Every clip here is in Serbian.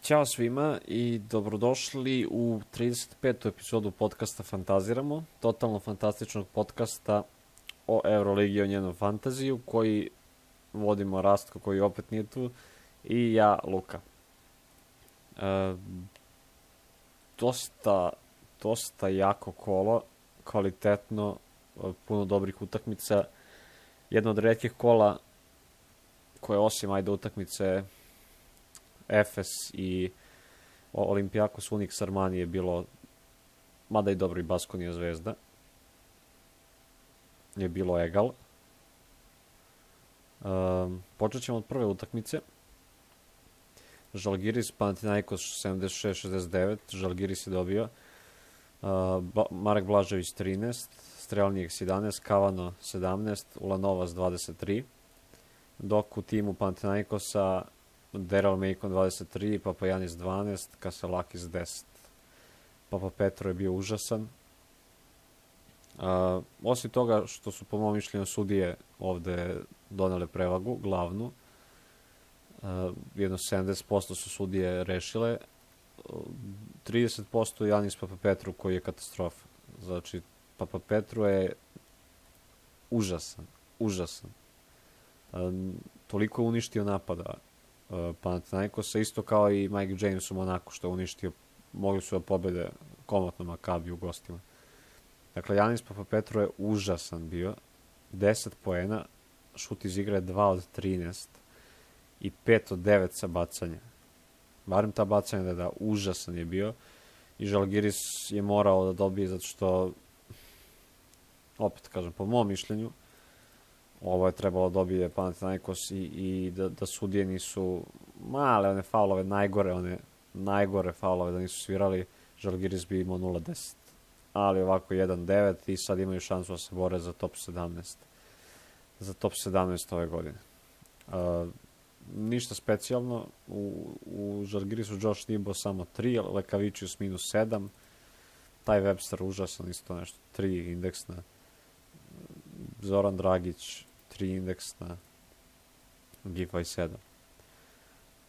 Ćao svima i dobrodošli u 35. epizodu podcasta Fantaziramo, totalno fantastičnog podcasta o Euroligi i o njenom fantaziju, koji vodimo Rastko, koji opet nije tu, i ja, Luka. Dosta jako kolo, kvalitetno, puno dobrih utakmica. Jedno od retkih kola koje osim utakmice Efes i Olympiakos Unix Armani je bilo, mada i dobro, i Baskonija Zvezda, je bilo egal. Počet ćemo od prve utakmice. Žalgiris Panathinaikos 76-69. Žalgiris je dobio. Marek Blažević 13, Strelnijeks 11, Kavano 17, Ulanovas 23. Dok u timu Panathinaikosa Daryl Macon 23, Papajanis 12, Kaselakis 10. Papa Petro je bio užasan. Osim toga što su po mom mišljenju sudije ovde donele prevagu, glavnu, jedno 70% su sudije rešile, 30% Janis Papa Petru koji je katastrofa. Znači, Papa Petru je užasan. Toliko je uništio napada Panathinaikosa, isto kao i Mike James u Monaku, što je uništio, mogli su da pobede komotno Makabi u gostima. Dakle, Janis Papapetru je užasan bio, 10 poena, šut iz igre 2 od 13 i 5 od 9 sa bacanja. Barem ta bacanja da užasan je bio i Žalgiris je morao da dobije zato što, opet kažem, po mom mišljenju, ovo je trebalo dobije Panathinaikos i da sudije nisu male one faulove, najgore faulove da nisu svirali, Žalgiris bi imao 0-10. Ali ovako 1-9 i sad imaju šansu da se bore za top 17. Za top 17 ove godine. Ništa specijalno. U Žalgirisu Josh Nimbo samo 3, Lekavičius minus 7. Taj Webster užasan, isto nešto 3 indeksna. Zoran Dragić 3 indeksna. Givaj 7.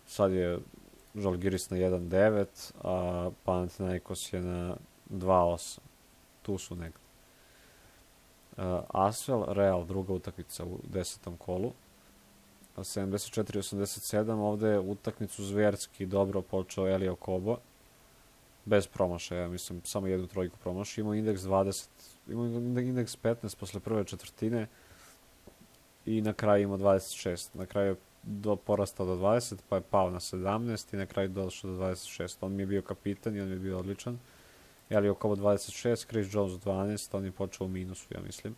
Sad je Žalgiris na 1-9, a Panathinaikos je na 2-8. Tu su negde. Asvel, Real, druga utakmica u 10. kolu. 74-87, ovde ovde zverski dobro počeo Elio Kobo. Bez promašaja, mislim, samo jednu trojku promašao. Imao indeks 20, imao indeks 15 posle prve četvrtine i na kraju imao 26. Na kraju je porastao do 20, pa je pao na 17 i na kraju došao do 26. On mi je bio kapitan i on mi je bio odličan. Elio Kobo 26, Chris Jones 12, on je počeo u minusu, ja mislim.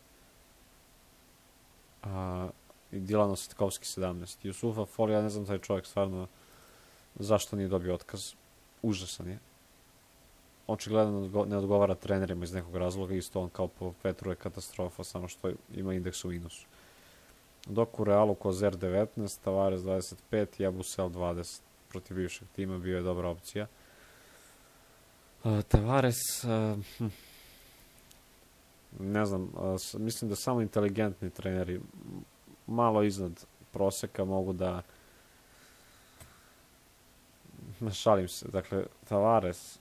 I Dilan Ositkovski 17. Jusufa Foli, ja ne znam taj čovjek stvarno zašto nije dobio otkaz. Užasan je. Očigledno ne odgovara trenerima iz nekog razloga, isto on kao po Petru je katastrofa, samo što ima indeks u minusu. Dok u Realu Kozer 19, Tavares 25, Jabusel 20. Protiv bivšeg tima bio je dobra opcija. Tavares, ne znam, mislim da samo inteligentni treneri malo iznad proseka mogu da, šalim se, dakle, Tavares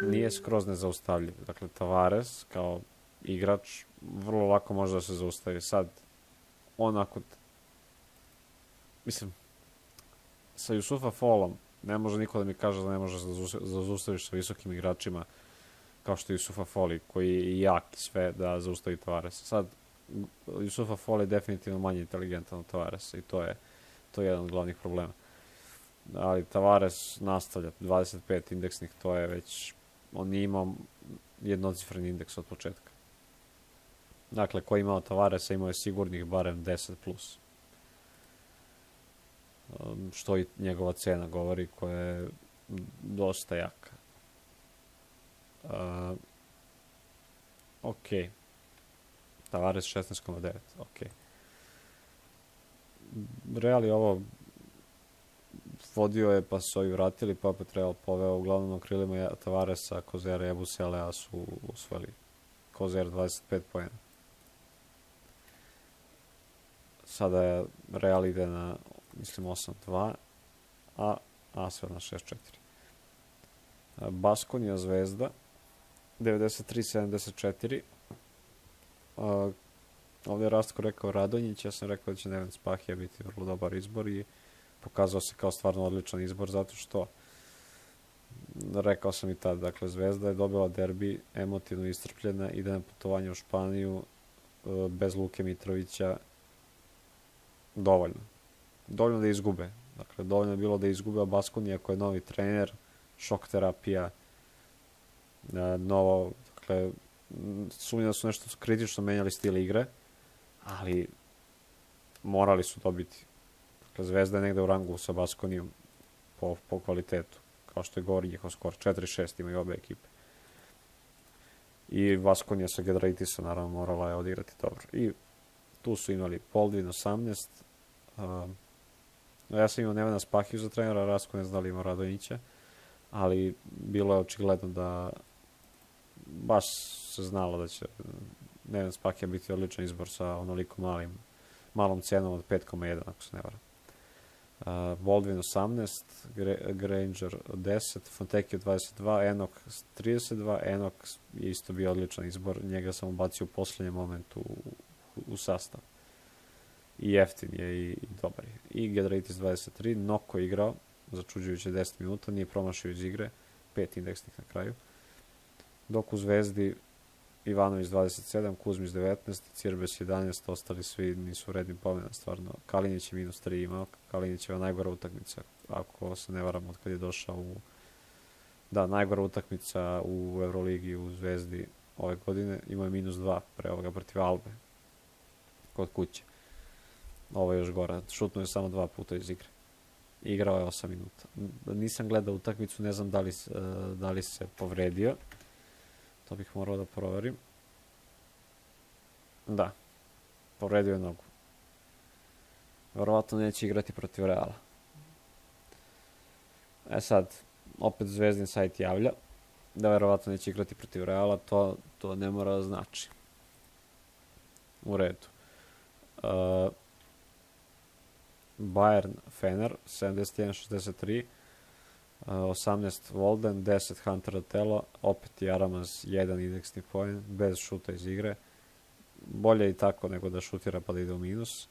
nije skroz nezaustavljiv. Dakle, Tavares kao igrač vrlo lako može da se zaustavi. Sad, onako, mislim, sa Jusufa Folom ne može niko da mi kaže da ne može da zaustaviš sa visokim igračima kao što je Jusufa Foli, koji je jak sve da zaustavi Tavaresa. Sad, Jusufa Foli je definitivno manje inteligentan od Tavaresa i to je jedan od glavnih problema. Ali Tavares nastavlja 25 indeksnih, to je već, on nije imao jednocifreni indeks od početka. Dakle, ko je imao Tavaresa imao je sigurnih barem 10+. Što i njegova cena govori, koja je dosta jaka. Ok. Tavares 16,9. Ok. Real je ovo vodio je, pa su ovi vratili, pa opet Real poveo uglavnom na krilima Tavaresa, Kozera i Ebuselea su usvojili. Kozer 25 poena. Sada je Real ide na, mislim, 8-2, a Asvel na 6-4. Baskonija Zvezda 93-74. Ovdje je Rastko rekao Radonjić, ja sam rekao da će Neven Spahija biti vrlo dobar izbor i pokazao se kao stvarno odličan izbor zato što rekao sam i tad, dakle Zvezda je dobila derbi, emotivno iscrpljena, ide na putovanje u Španiju bez Luke Mitrovića, dovoljno da izgube, dakle dovoljno je bilo da izgube, a Baskonija koji je novi trener, šok terapija, novo, dakle sumnjam da su nešto kritično menjali stil igre, ali morali su dobiti. Dakle, Zvezda je negde u rangu sa Baskonijom po kvalitetu, kao što je govori njihov skor. 4-6 imaju obe ekipe. I Baskonija sa Giedraitisa, naravno, morala je odigrati dobro. I tu su imali Poldvin 18. Ja sam imao Nevena Spahiju za trenera, Rasko ne znali imao Radonjića, ali bilo je očigledno da baš se znalo da će Neven Spahija biti odličan izbor sa onoliko malom cenom od 5,1 ako se ne varam. Baldwin 18, Granger 10, Fontecchio 22, Enok 32, Enok je isto bio odličan izbor, njega sam ubacio u posljednjem momentu u sastav. I jeftin je i dobar je. I Giedraitis 23, Noko igrao, začuđujuće 10 minuta, nije promašio iz igre, 5 indeksnih na kraju. Dok u Zvezdi Ivanović 27, Kuzmić 19, Cirbes 11, ostali svi nisu redni pomena, stvarno. Kalinić je -3 imao, Kalinićeva najgora utakmica, ako se ne varam, od kad je došao najgora utakmica u Euroligi u Zvezdi ove godine, imao je -2 pre ovoga protiv Albe, kod kuće. Ovo je još gora, šutnuo je samo 2 puta iz igre. Igrao je 8 minuta. Nisam gledao utakmicu, ne znam da li se povredio. To bih morao da proverim. Da, povredio je nogu. Verovatno neće igrati protiv Reala. Sad, opet Zvezdin sajt javlja da verovatno neće igrati protiv Reala, to ne mora da znači. U redu. Bayern Fener 71-63, 18 Volden, 10 Hunter Otelo, opet i Aramaz 1 indeksni poen, bez šuta iz igre. Bolje i tako nego da šutira pa da ide u minus.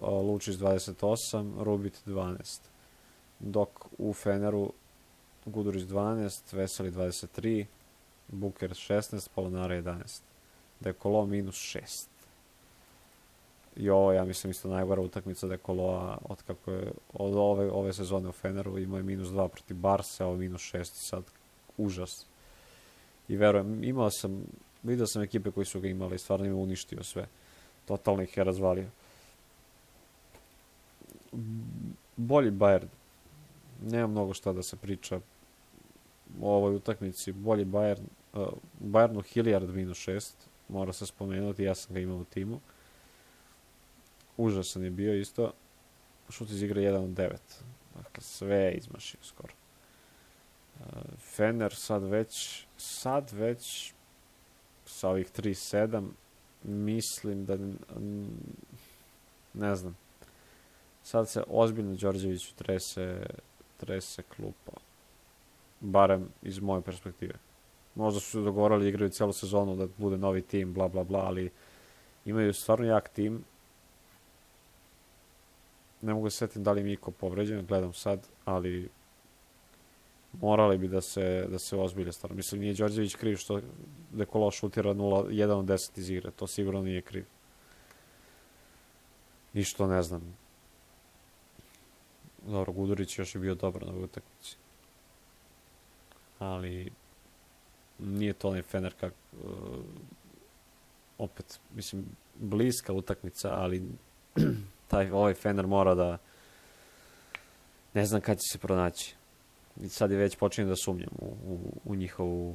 Lučić 28, Rubit 12. Dok u Feneru Gudurić 12, Veseli 23, Buker 16, Polonara 11. Dekolo -6. I ovo, ja mislim, isto najgora utakmica Dekoloa od ove sezone u Feneru. Imao je -2 protiv Barsa, ovo -6, sad užas. I verujem, vidio sam ekipe koji su ga imali, stvarno im uništio sve. Totalno ih je razvalio. Bolji Bayern. Nema mnogo šta da se priča o ovoj utakmici. Bolji Bayern. Bayernu Hilliard -6, mora se spomenuti, ja sam ga imao u timu. Užasan je bio isto. Šut iz igre 1 od 9. Dakle, sve je izmašio skoro. Fener sad već sa ovih 3-7 mislim da ne znam. Sad se ozbiljno Đorđeviću trese klupa. Barem iz moje perspektive. Možda su se dogovorili, igraju celu sezonu da bude novi tim, bla bla bla, ali imaju stvarno jak tim. Ne mogu se setim da li mi iko povređen, gledam sad, ali morali bi da se ozbilje stvarno. Mislim, nije Đorđević kriv što Dekolo šutira 1 od 10 iz igre, to sigurno nije kriv. I što ne znam. Dobro, Gudurić još je bio dobar na ovoj utakmici. Ali nije to onaj Fener opet, mislim, bliska utakmica, ali ovaj Fener mora da ne znam kad će se pronaći. I sad je već počinjem da sumnjam u njihovu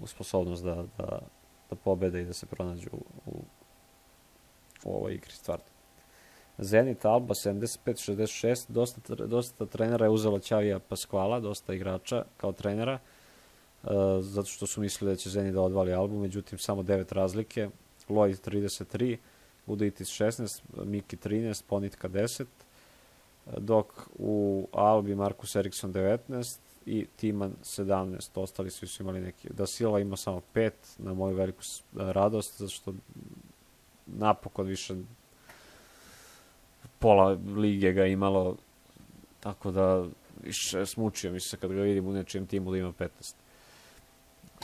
sposobnost da pobede i da se pronađu u ovoj igri, stvarno. Zenit Alba 75-66, dosta trenera je uzelo Ćavija Pasquala, dosta igrača kao trenera, zato što su mislili da će Zenit da odvali Albu, međutim samo 9 razlike. Lloyd 33, Gudurić 16, Miki 13, Ponitka 10, dok u Albi Marcus Eriksson 19 i Timan 17. Ostali svi su imali neki. Da Silva ima samo 5, na moju veliku radost, zato što napokon više pola lige ga imalo, tako da više smučio mi se kad ga vidim u nečijem timu da ima 15.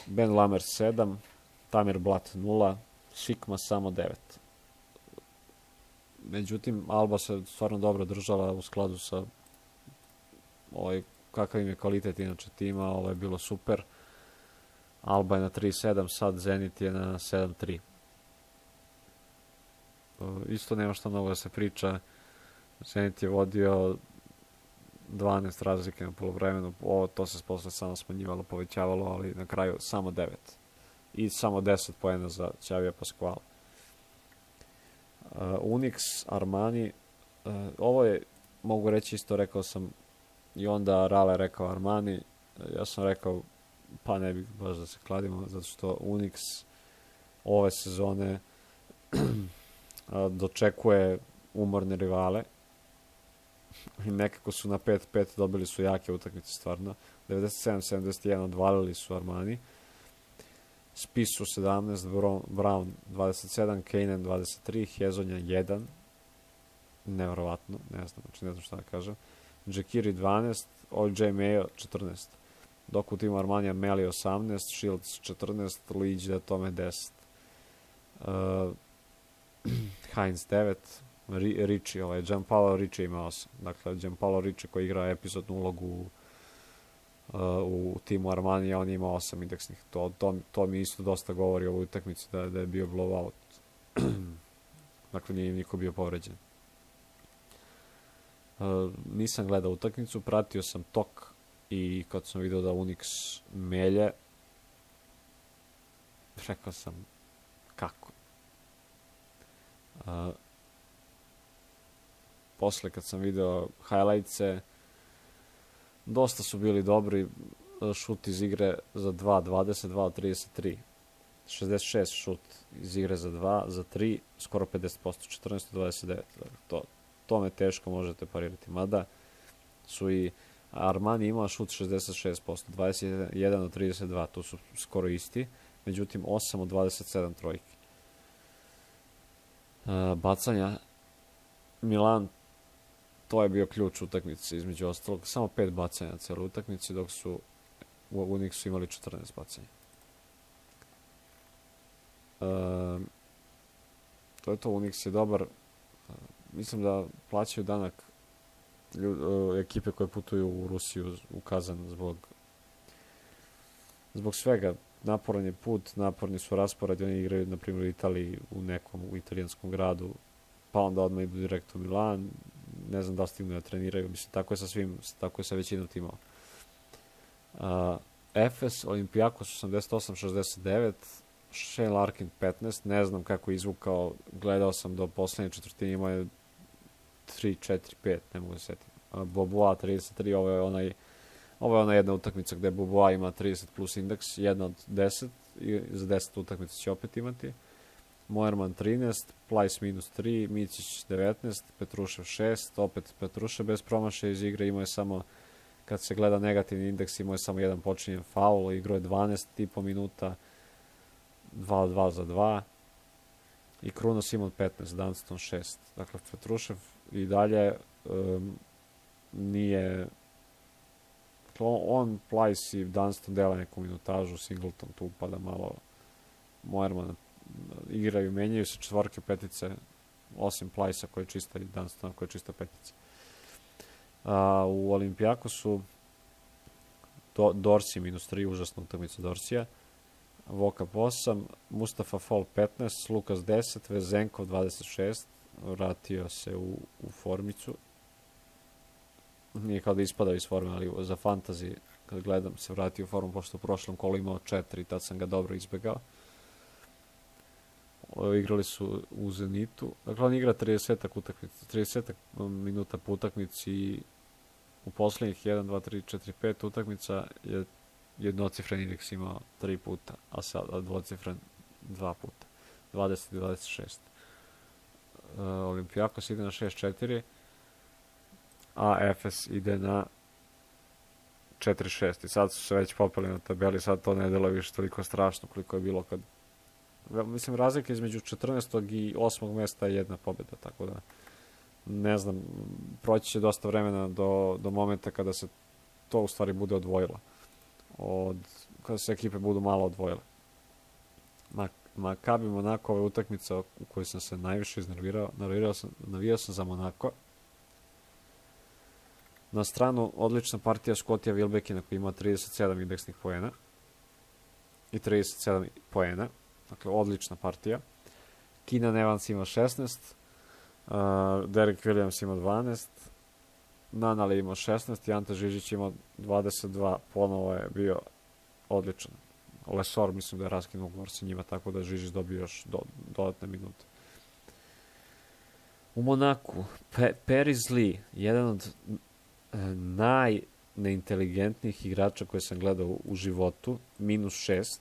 Ben Lammers 7, Tamir Blat 0, Šikma samo 9. Međutim, Alba se stvarno dobro držala u skladu sa kakav im je kvalitet inače tima, ovo je bilo super. Alba je na 3-7, sad Zenit je na 7-3. Isto nema što mnogo da se priča. Zenit je vodio 12 razlike na poluvremenu, to se posle samo smanjivalo, povećavalo, ali na kraju samo 9. I samo 10 poena za Xavija Pasquala. Unix, Armani, ovo je, mogu reći isto, rekao sam i onda Rale rekao Armani, ja sam rekao pa ne bih baš da se kladimo, zato što Unix ove sezone dočekuje umorne rivale i nekako su na 5-5 dobili su jake utakmice stvarno. 97-71 odvalili su Armani. Spisu 17, Brown 27, Kanan 23, Hezonja 1. Nevjerovatno, ne znam šta da kažem. Džekiri 12, OJ Mayo 14. Dok u timu Armanija Meli 18, Shields 14, Luigi da tome 10. Heinz 9, Ricci, Gianpaolo Ricci ima 8. Dakle, Gianpaolo Ricci koji igra epizodnu ulogu u timu Armanija, on ima 8 indeksnih. To mi isto dosta govori o ovoj utakmici da je bio blowout. Dakle, nije im niko bio povređen. Nisam gledao utakmicu, pratio sam tok i kad sam vidio da Unix melje, rekao sam kako. Posle kad sam video highlights-e, dosta su bili dobri, šut iz igre za 2, 22 od 33. 66 šut iz igre za 2, za 3, skoro 50%, 14 od 29. To me teško možete parirati. Mada su i Armani imao šut 66%, 21 od 32, to su skoro isti. Međutim, 8 od 27 trojki. Bacanja. Milan, to je bio ključ utakmice između ostalog. Samo 5 bacanja na celoj utakmici, dok su u Unixu imali 14 bacanja. To je to, Unix je dobar. Mislim da plaćaju danak ekipe koje putuju u Rusiju, u Kazan, zbog svega. Naporan je put, naporni su rasporedi, oni igraju, na primjer, u Italiji, u italijanskom gradu, pa onda odmah idu direkt u Milan. Ne znam da li stignu da treniraju, mislim, tako je sa većinom timova. Efes, Olimpijakos 88-69, Shane Larkin 15, ne znam kako je izvukao, gledao sam do poslednje četvrtine, imao je 3, 4, 5, ne mogu da setim. Boboa 33, ovo je ona jedna utakmica gde Boboa ima 30 plus indeks, 1 od 10, i za 10 utakmica će opet imati. Moerman 13, Plajs minus 3, Micić 19, Petrušev 6, opet Petrušev bez promašaja iz igre, imao je samo, kad se gleda negativni indeks, imao je samo jedan počinjen faul, igrao je 12,5 minuta, 2 od 2 za 2, i Kruno Simon 15, Dunston 6. Dakle, Petrušev i dalje nije... On, Plajs i Dunston dela neku minutažu, Singleton tu upada malo, Moerman igraju, menjaju se četvorke, petice, osim Plajsa koji je čista i Dunstona koji je čista petica. U Olimpijakosu Dorsi minus 3, užasna utakmica Dorsija, Vokap 8, Mustafa Fall 15, Lukas 10, Vezenkov 26, vratio se u formicu. Nije kao da ispadao iz forme, ali za fantasy, kad gledam, se vratio u formu, pošto u prošlom kolu imao 4, tad sam ga dobro izbegao. Igrali su u Zenitu. Dakle, on igra 30 minuta po utakmici i u poslednjih 1, 2, 3, 4, 5 utakmica je jednocifren indeks imao 3 puta, a sad dvocifren 2 puta. 20 i 26. Olimpijakos ide na 6-4. a Efes ide na 4-6. I sad su se već popeli na tabeli, sad to ne deluje više toliko strašno koliko je bilo kad... Mislim, razlika između 14. i 8. mesta je jedna pobjeda, tako da ne znam, proći će dosta vremena do momenta kada se to u stvari bude odvojilo. Kada se ekipe budu malo odvojile. Makabi Monako, ova utakmica u kojoj sam se najviše iznervirao, navijao sam za Monako. Na stranu odlična partija Scottija Wilbeckina koji ima 37 indeksnih poena i 37 poena. Dakle, odlična partija. Keenan Evans ima 16, Derek Williams ima 12, Nanali ima 16 i Ante Žižić ima 22. Ponovo je bio odličan. Lesor mislim da je raskinuo ugovor sa njima, tako da Žižić dobio još dodatne minute. U Monaku, Paris Lee, jedan od najneinteligentnijih igrača koje sam gledao u životu, -6.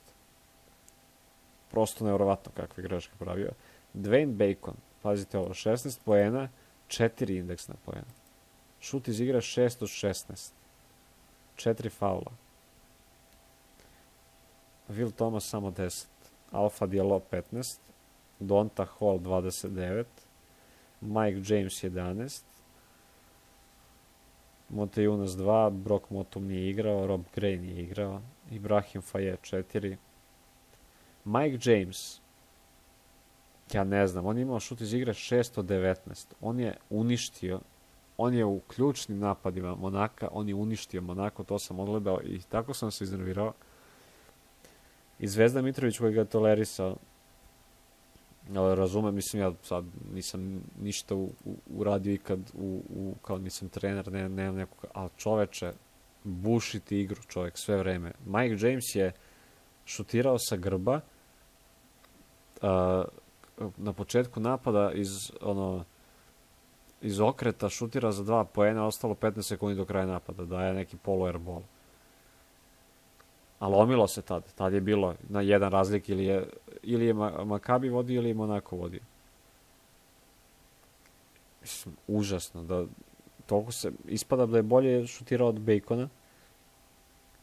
Prosto nevjerovatno kakve greške pravio. Dwayne Bacon, pazite ovo, 16 poena, 4 indeksna poena. Šut iz igre 6 od 16. 4 faula. Will Thomas samo 10. Alpha Diallo 15. Donta Hall 29. Mike James 11. Montejunas 2. Brock Motum nije igrao. Rob Gray nije igrao. Ibrahim Faye 4. Mike James, ja ne znam, on je imao šut iz igre 6 od 19. On je uništio, on je u ključnim napadima Monaka, on je uništio Monako, to sam odgledao i tako sam se iznervirao. I Zvezda Mitrović koji ga je tolerisao, razumem, mislim, ja sad nisam ništa uradio ikad, kao nisam trener, nemam nekog, ali čoveče, bušiti igru čovjek sve vreme. Mike James je šutirao sa grba, na početku napada iz okreta šutira za 2 poena, ostalo 15 sekundi do kraja napada, daje neki polu-airball. Ali lomilo se tad je bilo na jedan razlik, ili je Makabi vodio ili je Monako vodio. Mislim, užasno, toliko se ispada da je bolje šutirao od Bacona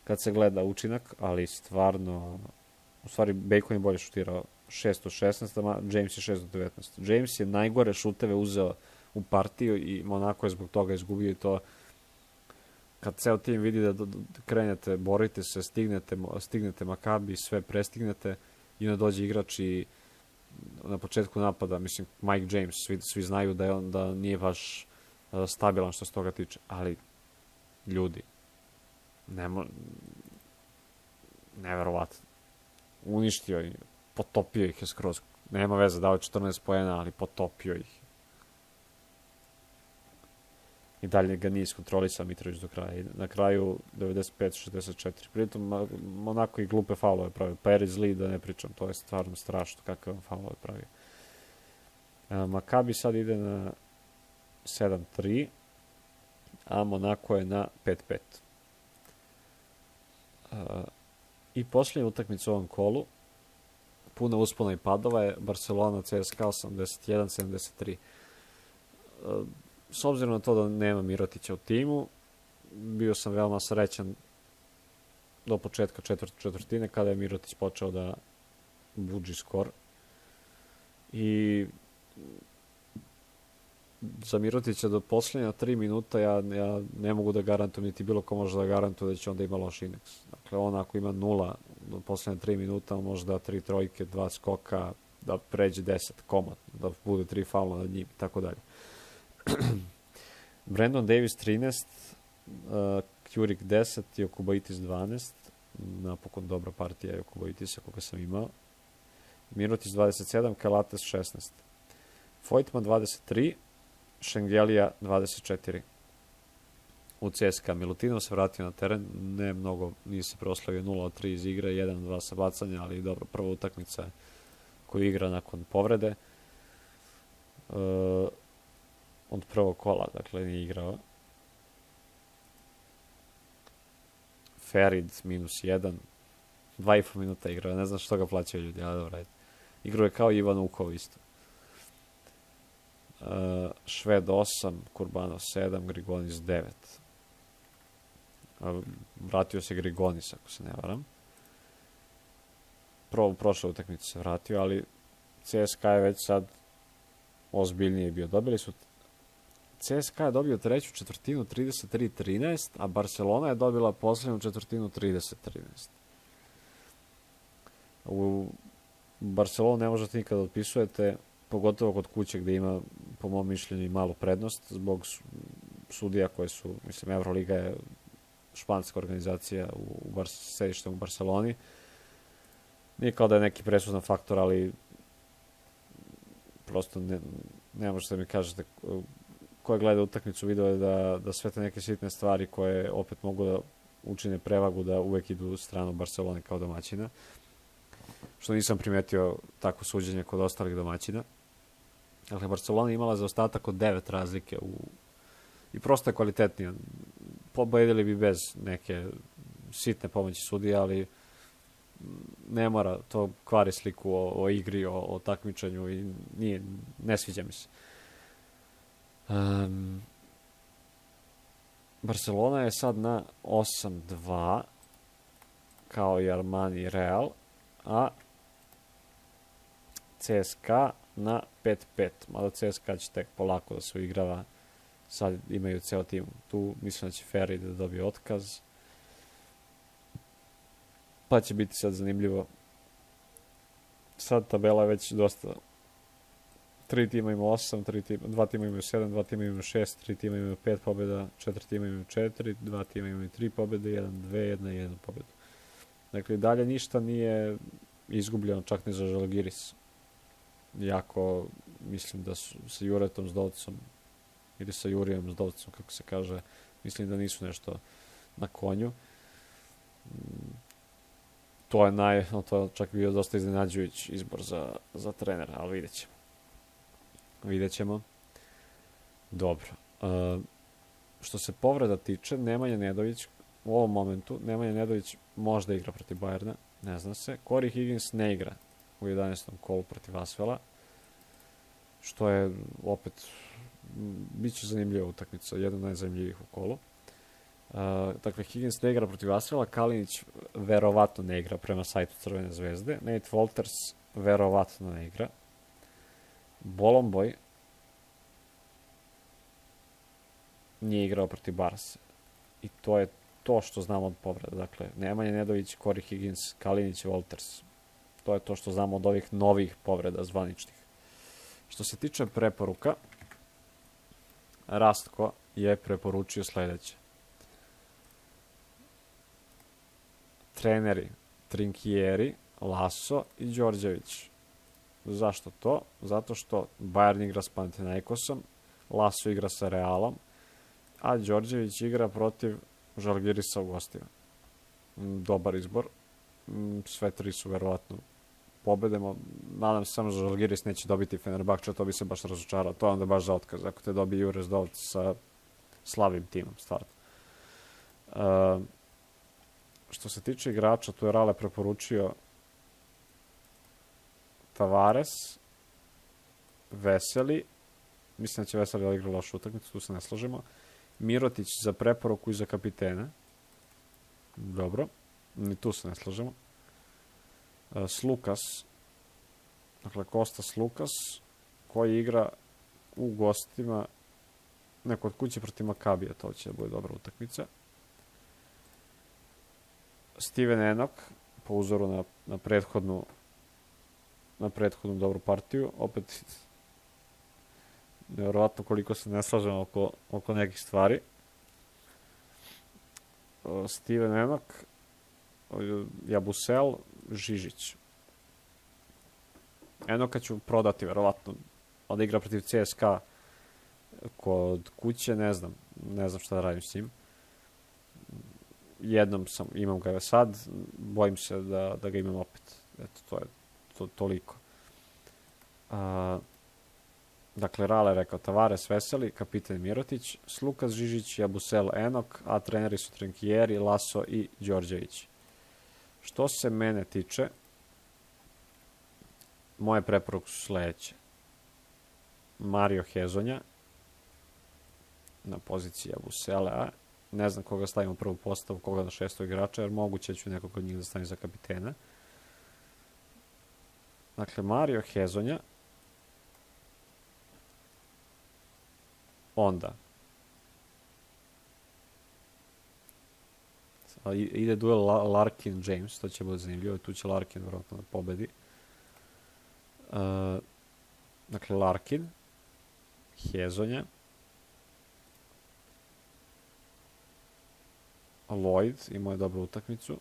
kad se gleda učinak, ali stvarno, u stvari Bacon je bolje šutirao 6 od 16, a James je 6 od 19. James je najgore šuteve uzeo u partiju i Monako je zbog toga izgubio i to kad ceo tim vidi da krenete, borite se, stignete Makabi, sve prestignete i onda dođe igrač i na početku napada, mislim Mike James, svi znaju da nije baš stabilan što se toga tiče, ali ljudi, neverovatno. Uništio ih, potopio ih je skroz. Nema veze, dao 14 poena, ali potopio ih. I dalje ga nije iskontrolisao Mitrović do kraja. I na kraju 95-64. Pritom Monako i glupe faulove pravio. Paris Lee, da ne pričam, to je stvarno strašno kakav on faulove pravio. Makabi sad ide na 7-3, a Monako je na 5-5. I posljednja utakmica u ovom kolu, puna uspona i padova, je Barcelona CSKA 81-73. S obzirom na to da nema Mirotića u timu, bio sam veoma srećan do početka četvrtine kada je Mirotić počeo da budži skor. I za Mirotića do posljednja 3 minuta ja ne mogu da garantujem, niti bilo ko može da garantuje da će onda ima loš indeks. Dakle, on ako ima 0 do posljednja 3 minuta, on može da 3 trojke, 2 skoka, da pređe 10 komad, da bude 3 faula nad njim i tako dalje. Brandon Davis 13, Kjurik 10, Jokubaitis 12, napokon dobra partija Jokubaitisa koga sam imao. Mirotić 27, Kalates 16. Vojtman 23, Šengelija 24. U CSKA Milutinov se vratio na teren, ne mnogo, nije se proslavio, 0 od 3 iz igre, 1 od 2 sa bacanja, ali dobro, prva utakmica koju igra nakon povrede. Od prvog kola, dakle, nije igrao. Ferid -1, 2,5 minuta igrao, ne znam što ga plaćaju ljudi, ali dobro, igrao je kao Ivan Ukov isto. Šved 8, Kurbanov 7, Grigonis 9. Vratio se Grigonis, ako se ne varam. U prošloj utakmici se vratio, ali CSKA je već sad ozbiljnije bio. Dobili su CSKA je dobio treću četvrtinu 33-13, a Barcelona je dobila posljednju četvrtinu 30-13. U Barcelonu ne možete nikada otpisujete, pogotovo kod kuće gdje ima, po mom mišljenju, i malu prednost zbog sudija koje su, mislim, Euroliga je španska organizacija u sedištem u Barceloni. Nije kao da je neki presudan faktor, ali prosto ne možete mi kažete ko gleda utakmicu video je da sve te neke sitne stvari koje opet mogu da učine prevagu da uvek idu u stranu Barcelone kao domaćina. Što nisam primetio takvo suđenje kod ostalih domaćina. Dakle, Barcelona je imala zaostatak od 9 razlike i prosto je kvalitetnija. Pobedili bi bez neke sitne pomoći sudija, ali ne mora, to kvari sliku o igri, o takmičenju i ne sviđa mi se. Barcelona je sad na 8-2 kao i Armani i Real, a CSKA na 5-5, mada CSKA će tek polako da se uigrava, sad imaju ceo tim tu, mislim da će Ferri da dobije otkaz, pa će biti sad zanimljivo. Sad tabela je već dosta, 3 tima ima 8, 2 tima imaju 7, 2 tima imaju 6, 3 tima imaju 5 pobjeda, 4 tima imaju 4, 2 tima imaju 3 pobjede, 1, 2, 1 i 1 pobjedu. Dakle, dalje ništa nije izgubljeno, čak ni za Žalgiris. Jako, mislim da su sa Juretom Zdovcom, ili sa Jurijem Zdovcom, kako se kaže, mislim da nisu nešto na konju. To je čak bio dosta iznenađujući izbor za trenera, ali vidjet ćemo. Dobro. Što se povreda tiče, Nemanja Nedović u ovom momentu, Nemanja Nedović možda igra protiv Bajerna, ne zna se. Corey Higgins ne igra u 11. kolu protiv Asvela, što je opet bit će zanimljiva utakmica, jedna od najzanimljivijih u kolu. Dakle, Higgins ne igra protiv Asvela, Kalinić verovatno ne igra prema sajtu Crvene zvezde, Nate Walters verovatno ne igra, Bolomboj nije igrao protiv Barse i to je to što znamo od povreda. Dakle, Nemanja Nedović, Corey Higgins, Kalinić i Walters. To je to što znamo od ovih novih povreda zvaničnih. Što se tiče preporuka, Rastko je preporučio sledeće. Treneri Trinkieri, Laso i Đorđević. Zašto to? Zato što Bayern igra s Panathinaikosom, Laso igra sa Realom, a Đorđević igra protiv Žalgirisa u gostima. Dobar izbor. Sve tri su verovatno pobedemo. Nadam se samo da Žalgiris neće dobiti Fenerbahče, to bi se baš razočarao. To je onda baš za otkaz. Ako te dobije Jures Dovc sa slabim timom, stvarno. Što se tiče igrača, tu je Rale preporučio Tavares, Veseli. Mislim da će Veseli igrati lošu utakmicu, tu se ne slažemo. Mirotić za preporuku i za kapitena. Dobro. Ni tu se ne slažemo. Slukas. Dakle, Kostas Lukas, koji igra u gostima neko od kuće protiv Makabija. To će da bude dobra utakmica. Steven Enoch, po uzoru na prethodnu dobru partiju. Opet nevjerovatno koliko se ne slažemo oko nekih stvari. Steven Enoch, Jabusel, Žižić. Enoka ću prodati, verovatno. Onda igra protiv CSKA kod kuće, ne znam šta da radim s njim. Jednom imam ga sad, bojim se da ga imam opet. Eto, to je toliko. Dakle, Rale je rekao Tavares, Veseli, kapiten Mirotić, Slukas, Žižić, Jabusel, Enok, a treneri su Trinkieri, Laso i Đorđević. Što se mene tiče, moje preporuke su sledeće. Mario Hezonja na poziciji Abuselea. Ne znam koga stavimo u prvu postavu, koga na 6. igrača, jer moguće ću nekog od njih da stavim za kapitena. Dakle, Mario Hezonja. Onda. Ide duel Larkin-James, to će biti zanimljivo. Tu će Larkin vjerojatno da pobedi. Dakle, Larkin. Hezonja. Lloyd, imao je dobru utakmicu.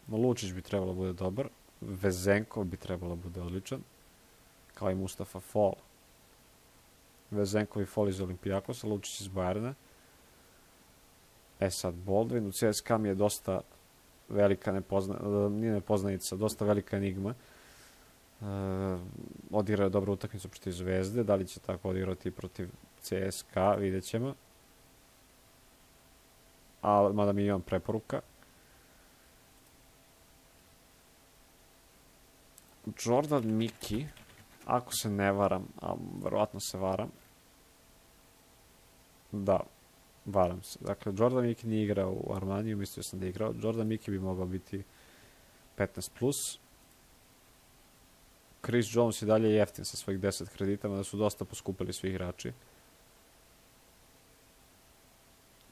Lučić bi trebalo bude dobar. Vezenkov bi trebalo bude odličan. Kao i Mustafa Fall. Vezenkov i Fall iz Olimpijakosa, Lučić iz Bajerna. Sad Baldwin. U CSKA mi je dosta velika nije nepoznanica, dosta velika enigma. Odigrao je dobru utakmicu protiv Zvezde. Da li će tako odigrati protiv CSKA, vidjet ćemo. Mada mi imam preporuka. Jordan Miki, ako se ne varam, a verovatno se varam. Da, varam se. Dakle, Jordan Miki nije igrao u Armaniju, mislio sam da je igrao. Jordan Miki bi mogao biti 15+. Chris Jones i dalje jeftin sa svojih 10 kredita, da su dosta poskupili svi igrači.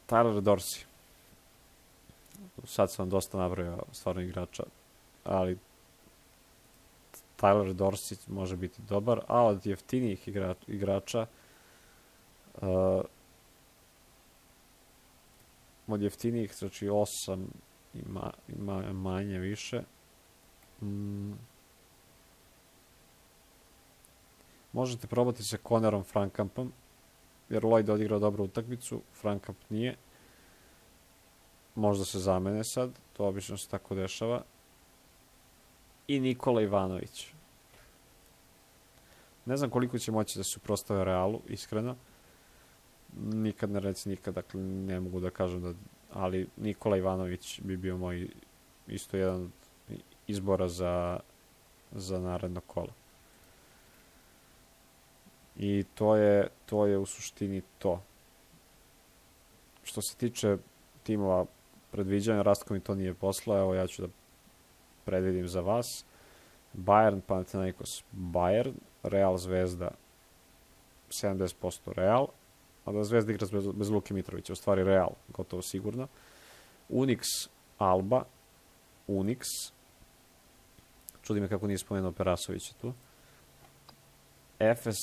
Tyler Dorsey. Sad sam vam dosta nabrojao stvarno igrača, ali Tyler Dorsey može biti dobar, a od jeftinijih igrača od jeftinijih, znači 8 ima manje više. Možete probati sa Conorom Frankampom, jer Lloyd odigrao dobru utakmicu, Frankamp nije. Možda se zamene sad, to obično se tako dešava. I Nikola Ivanović. Ne znam koliko će moći da se suprotstave Realu, iskreno. Nikad ne reci nikad, dakle ne mogu da kažem da... Ali Nikola Ivanović bi bio moj isto jedan od izbora za naredno kolo. I to je u suštini to. Što se tiče timova predviđanja, Rastko mi to nije poslao, evo ja ću da predvidim za vas. Bayern, Panathinaikos, Bayern, Real, Zvezda, 70% Real, a da Zvezda igra bez Luke Mitrovića, u stvari Real, gotovo sigurno. Unix, Alba, Unix, čudi me kako nije spomenuo Perasovića tu. Efes,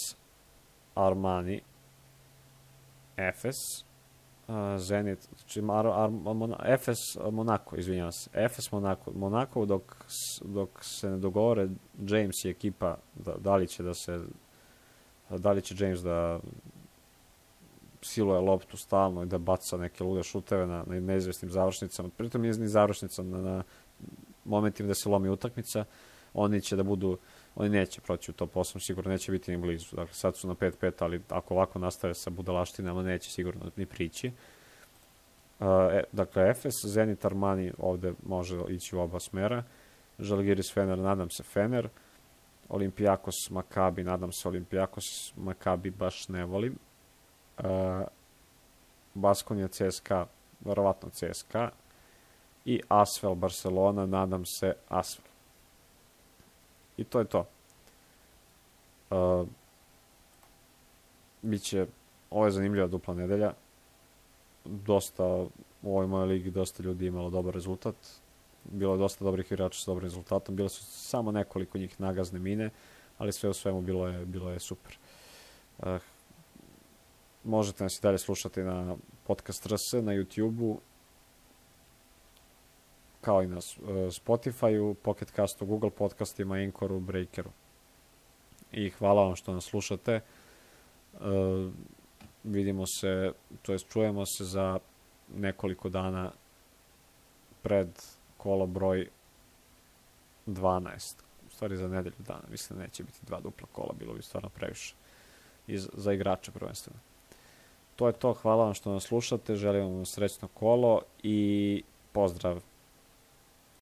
Armani, Efes, Zenit, znači Efes, Monako, izvinjavam se. Efes, Monako, dok se ne dogovore James i ekipa, da li će James da siluje loptu stalno i da baca neke lude šuteve na neizvesnim završnicama. Pritom nije ni završnica na momentima da se lomi utakmica. Oni neće proći u top 8, sigurno neće biti ni blizu. Dakle, sad su na 5-5, ali ako ovako nastave sa budalaštinama, neće sigurno ni prići. Dakle, Efes, Zenit, Armani ovde može ići u oba smera. Žalgiris, Fener, nadam se Fener. Olimpijakos, Makabi, nadam se Olimpijakos, Makabi baš ne volim. Baskonija, CSKA, verovatno CSKA. I Asvel, Barcelona, nadam se Asvel. I to je to. Ovo je zanimljiva dupla nedelja. U ovoj mojoj ligi dosta ljudi imalo dobar rezultat. Bilo je dosta dobrih igrača s dobrim rezultatom. Bilo su samo nekoliko njih nagazne mine, ali sve u svemu bilo je super. Možete nas i dalje slušati na Podcast RS, na YouTube-u, kao i na Spotify-u, Pocket Castu, Google podcastima, Anchoru, Breakeru. I hvala vam što nas slušate. Vidimo se, to jest čujemo se za nekoliko dana pred kolo broj 12. U stvari za nedelju dana. Mislim da neće biti 2 dupla kola, bilo bi stvarno previše. I za igrače prvenstveno. To je to, hvala vam što nas slušate, želim vam srećno kolo i pozdrav!